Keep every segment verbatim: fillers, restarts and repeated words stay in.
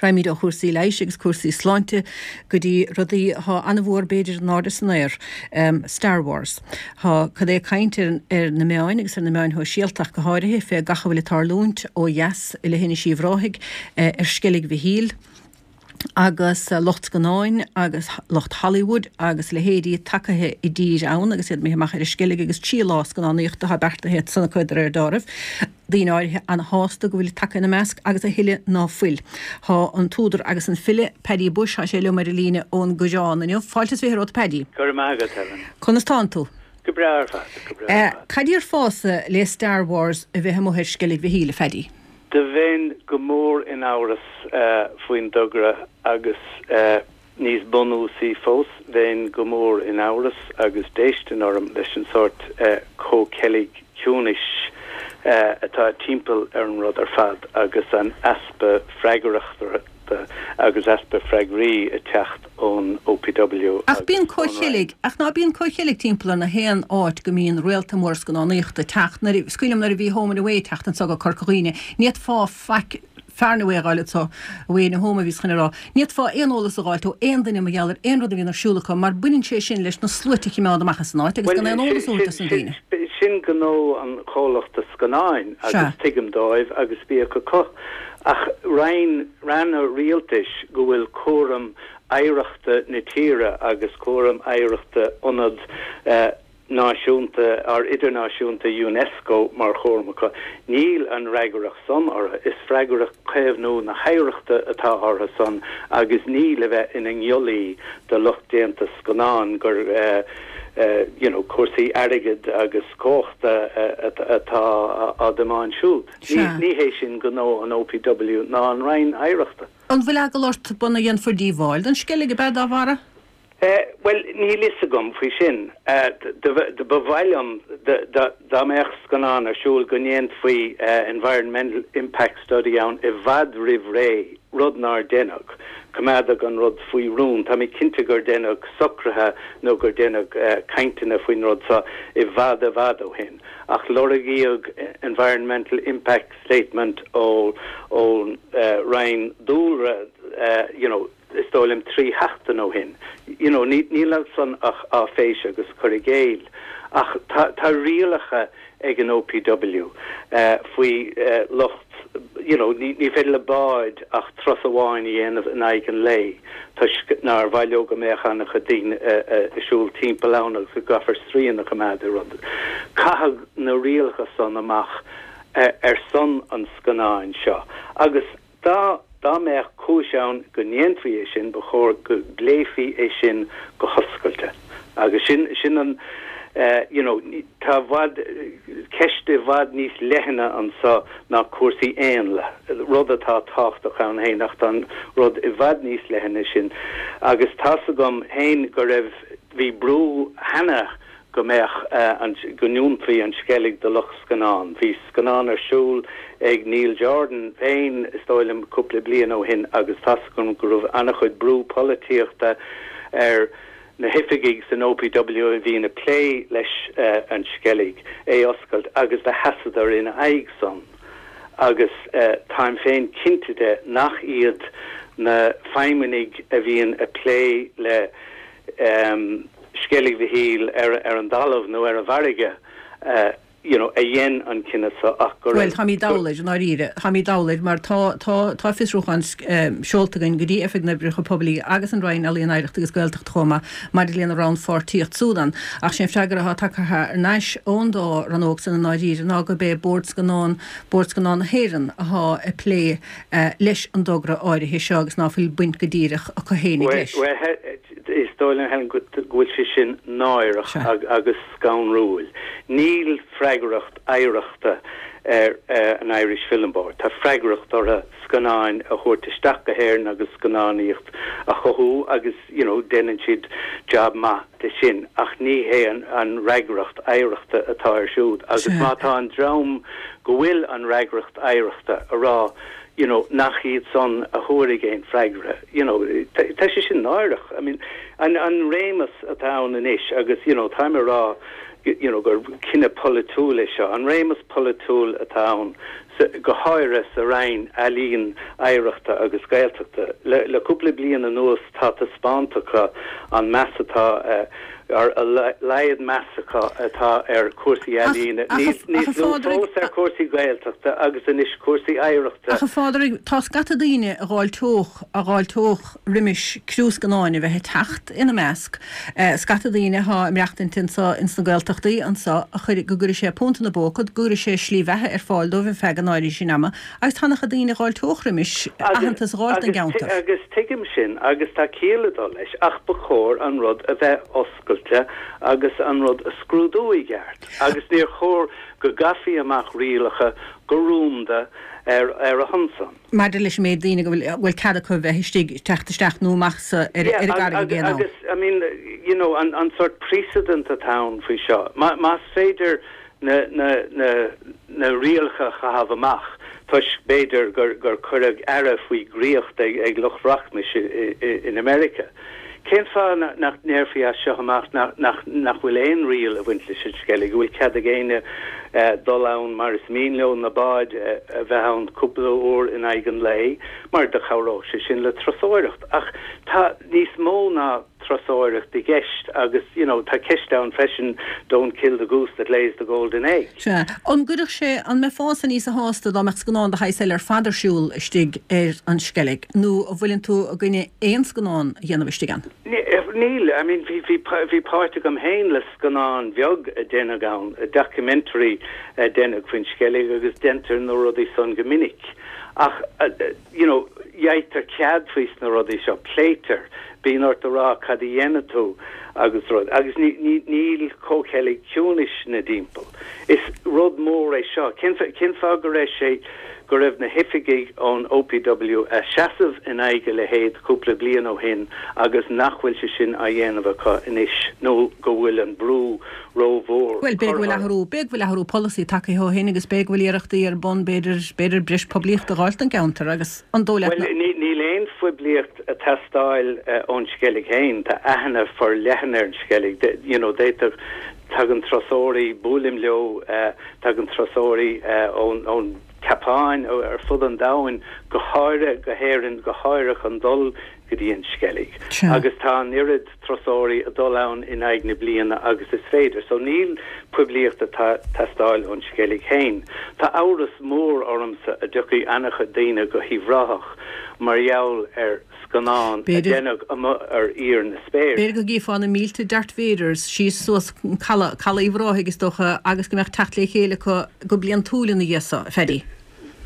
Raghaimid ó chúrsaí leighis agus cúrsaí sláinte go dtí rudaí atá an-mhór b'fhéidir in airde san aer, Star Wars. Tá cad é caint ar ar na meáin agus ar na meáin shóisialta ach go háirithe fé gach a bhfuil ag tarlúint ó dheas i leithinis Uíbh Ráthaigh ar Sceilg Mhichíl agus lucht scannáin agus lucht Hollywood agus leithéidí tacaithe i dtír ann agus iad imithe amach ar an Sceilg agus trí lá scannánaíochta atá beartaithe san acu de réir dealraimh. Daoine áirithe an-shásta go bhfuil tagtha ina measc agus a thuilleadh ná fuil. Tá an t-údar agus an file Paddy Bushe, tá sé liom ar an líne ón gCoireán inniu. Fáilte is fiche romhat Paddy. Go raibh maith agat, Helen. Conas tánn tú? Go breá ar fad, go breá ar fad. Cad déarfása le Star Wars a bheith amuigh ar Sceilg Mhichíl, a Phaddy? Do bheinn go mór in amhras faoin dtogra agus níos bunúsaí fós, bheinn go mór in amhras agus déistin orm leis an sórt comhcheilg ciúnais atá timpeall ar an rud ar fad agus an easpa freagrachta agus easpa freagraí ag teacht ón OPW Ach bíonn comhcheilg, ach ná bíonn comhcheilg timpeall ar na haon áit go mbíonn réalta mór scannánaíochta ag teacht, nuair, is cuimhin liom nuair a bhí Home and Away ag teacht anso go Corca Dhuibhne, ní fhéadfá faic, Far and Away a fháil anso, Away and Home a bhíos chun a rá, ní fhéadfá aon eolas a dh'fháilt ó aon duine mar gheall ar aon rud a bhíonn ar siúl acu mar baineann sé sin leis na sluaite a chimeád amach as an áit agus gan aon eolas a thabhairt dos na daoine. Sin gnó an chomhlachta scannáin agus tuigim dóibh agus bíodh acu. Ach roinn, ranna rialtais go bhfuil cúram oidhreachta na tíre agus cúram oidhreachta ionad náisiúnta or idirnáisiúnta Unesco mar chúram acu, níl an fhreagracht san orthu. Is freagracht caomhnú na hoidhreachta atá orthu san agus ní le bheith ina ngiollaí do lucht déanta scannán gur you know cúrsaí airgid agus cumhachta atá á dtiomáint siúd. Ní hé sin gnó an OPW ná an Roinn Oidhreachta. An bhfuil eagla ort go ndéanfar díobháil don Sceilg, ab ea, dá bharra? Bhuel, níl fhios agam faoi sin. Ba mhaith liom dá mbeadh scannán ar siúl go ndéanfaí environmental impact study ann i bhfad roimh ré, rud nár deineadh. Coimeádadh an rud faoi rún. Tá mé cinnte gur deineadh socruithe nó gur deineadh cainteanna faoin rud seo i bhfad i bhfad ó shin. Ach lorgaíodh environmental impact statement ón Roinn Dúlra, you know, is dóigh liom trí sheachtain ó shin. You know, níl ansan ach áiféis agus cur i gcéill. Ach tá tá rialacha ag an OPW faoi lucht, you know, ní ní féidir le báid ach turas amháin a dhéanamh in aghaidh an lae toisc nár mhaith leo go mbeadh an-chuid daoine ag siúl timpeall ann agus go gcaithfear srian a choimeád ar rud. Caitheadh na rialacha san amach ar son an scannáin seo agus dá dá mbeadh cúis ann go ndéanfaí é sin, ba chóir go bpléifí é sin go hoscailte. Agus sin, sin an, you know, tá i bhfad, ceist i bhfad níos leithne anso ná cúrsaí éanlaith, rud atá tábhachtach ann féin ach tá an rud i bhfad níos leithne sin. Agus tá's agam féin go raibh, bhí brú cheana go mbeadh an, go ndúnfaí an Sceilg do lucht scannán. Bhí scannán ar siúl ag Neil Jordan féin, is dóigh liom, cúpla bliain ó shin agus tá's agam go raibh an-chuid brú polaitíochta ar na hoifigigh san OPW a bhíonn ag plé leis an Sceilg é oscailt agus do sheasadar ina aghaidh san agus táim féin cinnte de nach iad na feidhmeannaigh a bhíonn ag plé le Sceilg Mhichíl ar ar an dtalamh nó ar an bhfarraige you know a dhein an cinneadh so ach go Bhuel, táimid dall air, i ndáiríre. Táimid dall air mar tá, tá, tá fiosrúchán seolta againn go dtí Oifig na nOibreacha Poiblí agus an Roinn Ealaíon, Oidhreachta agus Gaeltachta chomh maith maidir lena rannpháirtíocht siúd ann. Ach sé an freagra atá tagtha thar n-ais ón dá rannóg san i ndáiríre ná gurb é Bord Scannán, Bord Scannán na hÉireann athá ag plé leis an dtogra áirithe seo agus ná fuil baint go díreach acu fhéinig leis. Bhuel, Is dóigh liom, Helen, go bhfuil sé sin náireach agus scanrúil. Níl freagracht oidhreachta ar an Irish Film Board. Tá freagracht orthu scannáin a thabhairt isteach go hÉirinn agus scannánaíocht a chothú agus you know déanann siad jab maith de sin ach ní hé an fhreagracht oidhreachta atá air siúd agus má tá an dream go bhfuil an fhreagracht oidhreachta a rá you know, nach iad san a thabharfaidh aon freagra, you know, tá sé sin náireach. I mean, an, an réimeas atá ann anois agus, you know, táim ag rá, you know, gur cinneadh polaitiúil é seo, an réimeas polaitiúil atá ann go háirithe sa Roinn Ealaíon, Oidhreachta agus Gaeltachta. Le le cúpla bliain anuas tá taispeánta acu an meas atá ar a laghad meas acu atá ar cúrsaí ealaíne, níos lú fós ar cúrsaí Gaeltachta agus anois cúrsaí oidhreachta. Ach a Phádraig, tá scata daoine a dh'fháilteodh a dh'fháilteodh roimis criú scannáin a bheith ag teacht ina measc, scata daoine atá ag maireachtaint anso ins na Gaeltachtaí anso a chuir go gcuirfidh sé punt ina bpóca, go gcuirfidh sé slí bheatha ar fáil dóibh ar feadh an áirithe sin ama agus tá an-chuid daoine a dh'fháilteodh roimis aitheantas a dh'fháilt don gceantar. Agus tuigim sin agus tá ciall ag dul leis ach ba chóir an rud a bheith oscailte agus an rud a scrúdú i gceart agus níor chóir go gcaithfí amach rialacha go rúnda ar ar a shon san. Maidir leis an méid daoine go bhfuil bhfuil cead acu a bheith istigh, teacht isteach nó amach sa ar ar an gcarraig ag aon am. Agus I mean you know an an sort precedent atá ann faoi seo. Má más féidir na na na na rialacha a chaitheamh amach toisc b'fhéidir gur gur cuireadh aire faoi dhraíocht ag ag lucht rachmais i i in America. Cén fáth nach ndéarfaí as seo amach nach nach nach bhfuil aon riail ag baint leis an Sceilg, go bhfuil cead ag éinne dul ann mar is mian leo, na báid a bheith ann cúpla uair in aghaidh an lae, mar do chabhródh sé sin le turasóireacht. Ach tá níos mó ná turasóireacht i gceist agus you know tá ceist ann freisin don't kill the goose that lays the golden egg. Sea. An gcuirfeadh sé, an mbeifeása níosa shásta dá mbeadh scannán de shaghas eile ar fad ar siúl istigh ar an Sceilg nó an bhfuileann tú i gcoinne aon scannán a dhéanamh istigh ann? Níl, I mean bhí bhí bhí páirt agam féin le scannán bheag a déanadh ann, documentary a déanadh faoin Sceilg agus déantar na rudaí san go minic. Ach you know gheibhtear cead faoi sna rudaí seo, pléitear, bíonn ort a rá cad a dhéanfaidh tú agus rud, agus ní ní níl comhcheilg ciúnais ina dtimpeall. Is rud mór é seo. Cén cén fáth go raibh sé go raibh na hoifigigh ón OPW a seasamh in aghaidh a leithéid cúpla bliain ó shin agus nach bhfuil sé sin á dhéanamh acu anois nó go bhfuil an brú rómhór Bhuel, b'fhéidir go bhfuil athrú, b'fhéidir go bhfuil athrú polasaí tagtha ó shin agus b'fhéidir go bhfuil iarrachtaí ar bun b'fhéidir b'fhéidir breis poiblíochta a dh'fháilt don gceantar agus an dóigh leat Bhuel, ní níl aon phoiblíocht ag teastáil ón Sceilg féin, tá aithne forleathan ar an Sceilg, you know, d'fhéadfadh tagann turasóirí, buailim leo, tagann turasóirí ón ón tSeapáin, ar fud an domhain, go háirithe go hÉirinn, go háirithe chun dul go dtí an Sceilg. Agus tá an oiread turasóirí ag dul ann in aghaidh na bliana agus is féidir. So níl poiblíocht ag teastáil ón Sceilg féin. Tá amhras mór ormsa a dtiocfaidh an-chuid daoine go hUíbh Ráthach mar gheall ar scannán a deineadh amuigh ar íor na spéire. B'fhéidir go gcífeá na mílte Darth Vaders síos suas caladh Uíbh Ráthaigh is dócha agus go mbeadh teacht le chéile acu go bliantúil ina dhiaidh so, a Phaddy.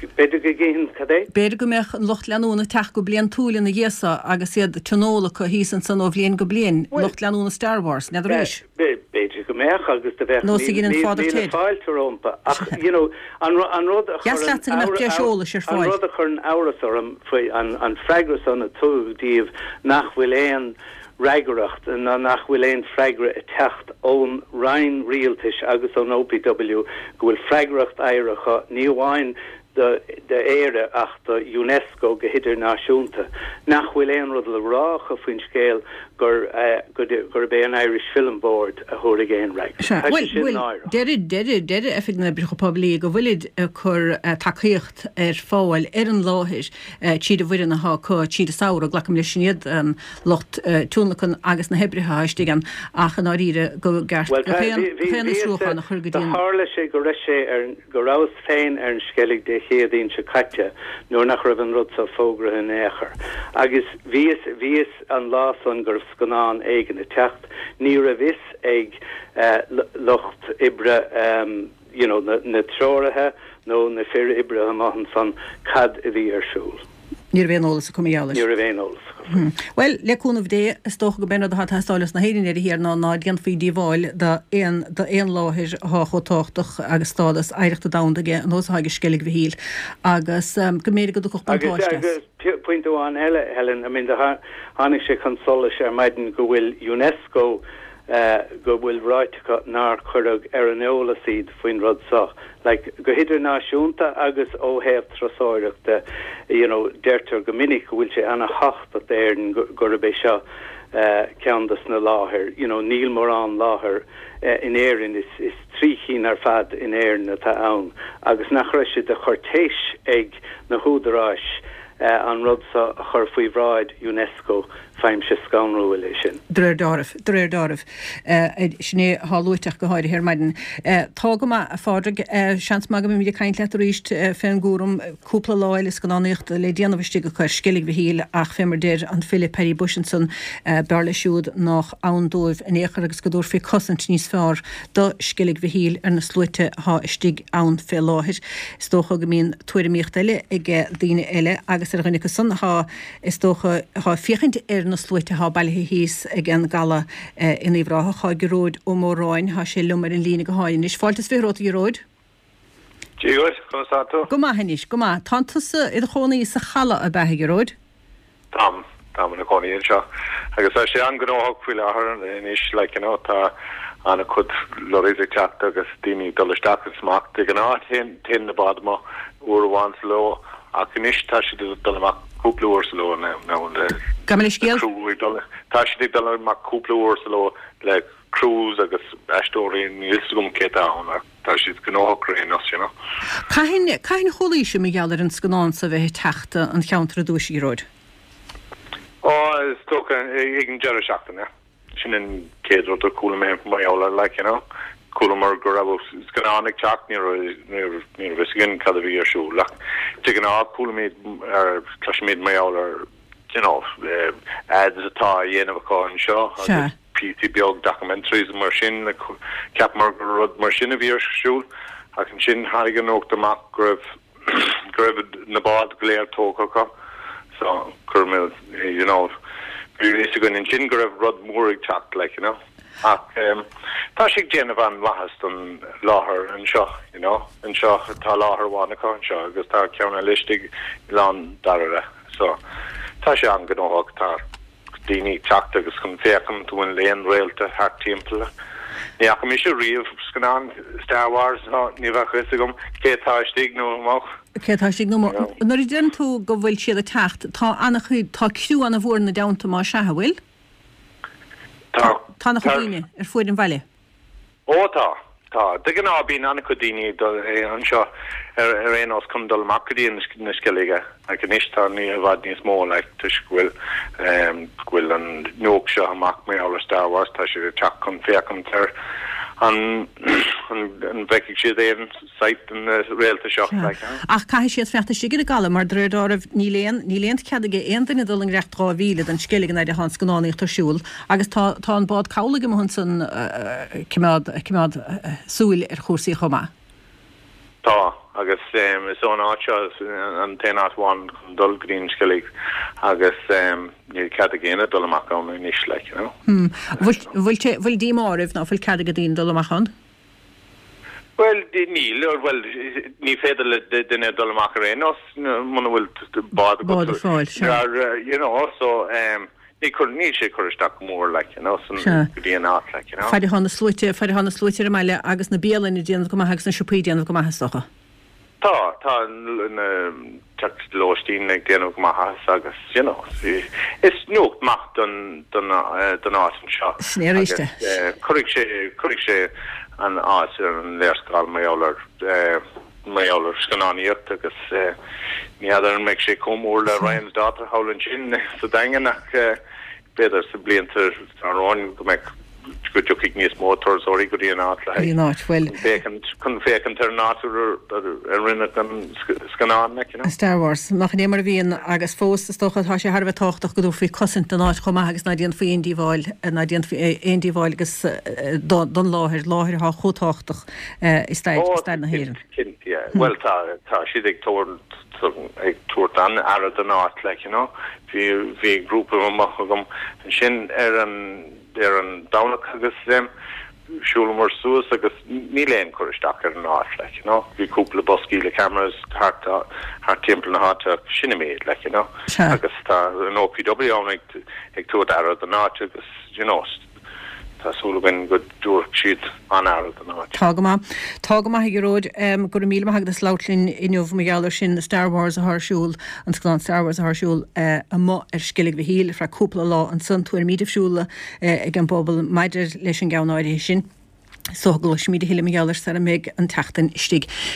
B'fhéidir go gcífinn cad é? B'fhéidir go mbeadh an lucht leanúna ag teacht go bliantúil ina dhiaidh so agus iad tionól acu thíos ansan ó bhliain go bliain, lucht leanúna Star Wars, n'fheadar arís. B'fhéidir go mbeadh agus do bheadh Nós a dhein an Father Ted. míle fáilte rompu ach you know an an rud a Dheas chuireann leatsa go mbeadh breis eolais ar an fáil. rud a chuireann amhras orm faoi an an freagra san a tugadh díobh nach bhfuil aon fhreagracht ná nach bhfuil aon freagra ag teacht ón Roinn Rialtais agus ón OPW go bhfuil freagracht éirithe acu ní amháin do d'Éire ach do UNESCO go hidirnáisiúnta, nach bhfuil aon rud le rá acu faoin scéal gur gurb é an Irish Film Board a thabharfaidh aon fhreagra. Sea, Tá sé bhuel, sin bhuel, náireach. deirid, deirid, deirid Oifig na nOibreacha Poiblí go bhfuilid ag cur tacaíocht ar fáil ar an láthair tríd an bhfoireann atá acu tríd an samhradh, glacaim leis sin iad an lucht tionlacan agus na hoibrithe atá istigh ann ach i ndáiríre go gceart Bhuel, gach tá, aon, bhí, bhí, gach aon bhíos, fhiosrúchán a chur go do dtí an. tharla sé go raibh sé ar an, go rabhas féin ar an Sceilg Dé Céadaoin seo caite nuair nach raibh an rud so fógraithe in aon chor. Agus bhíos, bhíos an lá san go raibh scannán éigin ag teacht, ní raibh fhios ag lucht oibre you know na, na treoraithe nó na fir oibre amuigh ansan cad a bhí ar siúl. Ní raibh aon eolas acu mar gheall air. Ní raibh aon eolas acu faoi. Bhuel, le cúnamh Dé, is dócha go b'é an rud atá ag teastáil os na hÉireann ar thiar ná ná déanfaí díobháil d'aon d'aon láthair atá chomh tábhachtach agus stádas oidhreachta domhanda aige ar nós atá ag Sceilg Mhichíl agus go mb'fhéidir go dtiocfadh Agus buntáiste as. agus pointe amháin eile, Helen, I mean do tháinig sé chun solais ar maidin go bhfuil UNESCO go bhfuil ráite acu nár cuireadh ar an eolas iad faoin rud seo. Like, go hidirnáisiúnta agus ó thaobh turasóireachta, you know, deirtear go minic go bhfuil sé an-tábhachtach d'Éirinn gurb é seo ceann dos na láthair, you know, níl mórán láthair in Éirinn is, is trí cinn ar fad in Éirinn atá ann agus nach raibh sé de churtéis ag na húdaráis an rud seo a chur faoi bhráid UNESCO faighimse scanrúil é sin. De réir dealraimh, de réir dealraimh. Sin é atá luaite ach go háirithe ar maidin. Tá go maith, a Phádraig. Seans maith go mbeimid ag caint leat arís fén gcúram cúpla lá eile scannánaíochta le déanamh istigh acu ar Sceilg Mhichíl ach fé mar deir an file Paddy Bushe ansan, b'fhearr leis siúd nách ann dóibh in aon chor agus go dtabharfaí cosaint níos fearr do Sceilg Mhichíl ar na sluaite atá istigh ann fé láthair. Is dócha go mbíonn tuairimíocht eile ag daoine eile agus ar dhuine acu san atá, is dócha, atá ag féachaint ar na sluaite atá bailithe thíos ag an gcaladh in Uíbh Ráthach. Tá Gearóid Ó Móráin, tá sé liom ar an líne gutháin anois. Fáilte is fiche romhat, a Ghearóid. Dia dhuit, conas tá tú? Go maith anois, go maith. Tánn tusa i do chónaí sa Chaladh, ab ea, a Ghearóid? Táim, táim i mo chónaí anseo. Agus tá sé an-ghnóthach faoi láthair anois, like, you know, tá an-chuid lorries ag teacht agus daoine ag dul isteach agus amach. De ghnáth téann, téann na báid amach uair amháin sa ló ach anois tá siad ag dul amach cúpla uair sa ló now le Gabh mo leithscéal. crew ag dul, tá siad ag dul amach cúpla uair sa ló le crews agus aisteoirí, níl fhios agam cé atá ann ach tá siad gnóthach ar aon nós, you know. Cathain, cathain a chualaís mar gheall ar an scannán so bheith ag teacht an cheantar ar dtúis, a Ghearóid? Ó, is dócha ag an deireadh seachtaine. Sin an chéad rud a chuala mé mar gheall air, like, you know. Chualamar go raibh scannán ag teacht, ní raibh, ní raibh, ní raibh fhios againn cad a bhí ar siúl ach de ghnáth chualaimid ar, cloisimid mar gheall ar, you know, ads atá á dhéanamh acu anseo agus píosaí beag documentaries mar sin, cheapamar gur rud mar sin a bhí ar siúl ach ansin tháinig an nuacht amach go raibh, go raibh na báid go léir tógtha acu so chuir mé, you know, bhí fhios againn ansin go raibh rud mór ag teacht, like, you know. Ach um, tá sé ag déanamh an-mhaitheas don láthair anseo, you know. Anseo tá láthair amháin acu anseo agus tá ceann eile istigh i Oileán Dairbhre. So tá sé an-ghnóthach, tá daoine ag teacht agus chun féachaint an bhfuil aon réalta thart timpeall. Ní fhaca mise riamh scannán Star Wars ná ní bheadh fhios agam cé atá istigh nó amuigh. Cé atá istigh nó amuigh. Nuair a deireann tú go bhfuil siad ag teacht, tá an-chuid, tá criú an-mhór ina dteannta más ea, an bhfuil? Tá. Tá an-chuid daoine ar fuaid an bhaile. Ó tá, tá. De ghnáth bíonn an-chuid daoine ag dul anseo ar ar aon nós chun dul amach go dtí na Sceilge ach anois tá ní i bhfad níos mó like toisc go bhfuil go bhfuil an nuacht seo amach mar gheall ar Star Wars tá siad ag teacht chun féachaint ar an an bhfeicfidh siad aon sight den réalta seo like. Ach caithfidh siad fanacht istigh ar an gcaladh mar de réir dealraimh níl aon níl aon chead ag aon duine dul i ngiorracht dhá mhíle den Sceilg an fhaid atá an scannánaíocht ar siúl agus tá tá an bád cabhlaigh amuigh ansan ag coimeád ag coimeád súil ar chúrsaí chomh maith. Tá, agus is ón áit seo an t-aon áit amháin chun dul go dtí an Sceilg agus níl cead ag éinne dul amach ann anois, like, you know. Hmm. Bhfuil, bhfuil sé, bhfuil díomá oraibh ná fuil cead ag daoine dul amach ann? Bhuel, níl, bhuel, ní féidir le duine dul amach ar aon nós muna bhfuil bád agat. Bád ar fáil, sea. You know, so, Ní cur, níl sé ag cur isteach go mór, like, you know, san, go dtí an áit, like, you know. Faid atá na sluaite, faid atá na sluaite ar an mbaile agus na bialanna ag déanamh go maith agus na siopaí ag déanamh go maith, is dócha. Tá, tá na teach lóistín ag déanamh go maith as agus, you know, is nuacht maith don, don, don áit anseo. Sin é arís é. Agus cuirfidh sé, cuirfidh sé an áit ar an léarscáil mar gheall ar, mar gheall ar scannánaíocht agus ní fheadar an mbeidh sé chomh mór le Ryan's Daughter thall ansin sa Daingean ach b'fhéidir sna blianta atá romhainn go mbeidh go dtiocfaidh níos mó turasóirí go dtí an áit le haghaidh chun féachaint chun féachaint ar an áit a rinneadh an scannán like, you know. Star Wars. Nach in é mar a bhíonn agus fós is dócha tá sé thar a bheith tábhachtach go dtabharfaí cosaint don áit chomh maith agus ná déanfaí aon díobháil ná déanfaí aon díobháil agus don láthair, láthair atá chomh tábhachtach i stair stair na hÉireann. Cinnte, yeah. Bhuel, tá, tá siad ag tabhairt, ag tabhairt an-aire don áit, like, you know. Bhí, bhí grúpa amuigh agam ansin ar an, ar an Domhnach agus em, shiúlamar suas agus níl aon cur isteach ar an áit, like, you know. Bhí cúpla boscaí le cameras thart, thart timpeall na háite ach sin an méid, like, you know. Sea. Agus tá an OPW ann ag, ag tabhairt aire don áit agus, you know, Tá súil againn go dtabharfaidh siad an-aire don áit. Tá go maith. Tá go maith a Ghearóid. Go raibh míle maith agat as labhairt linn inniu mar gheall air sin, Star Wars atá ar siúl, an scannán Star Wars atá ar siúl amuigh ar Sceilg Mhichíl ar feadh cúpla lá ansan. Tuairimí difriúla ag an bpobal maidir leis an gceann áirithe sin. So gcloisfimid a thuilleadh mar gheall air sara mbeidh an tseachtain istigh.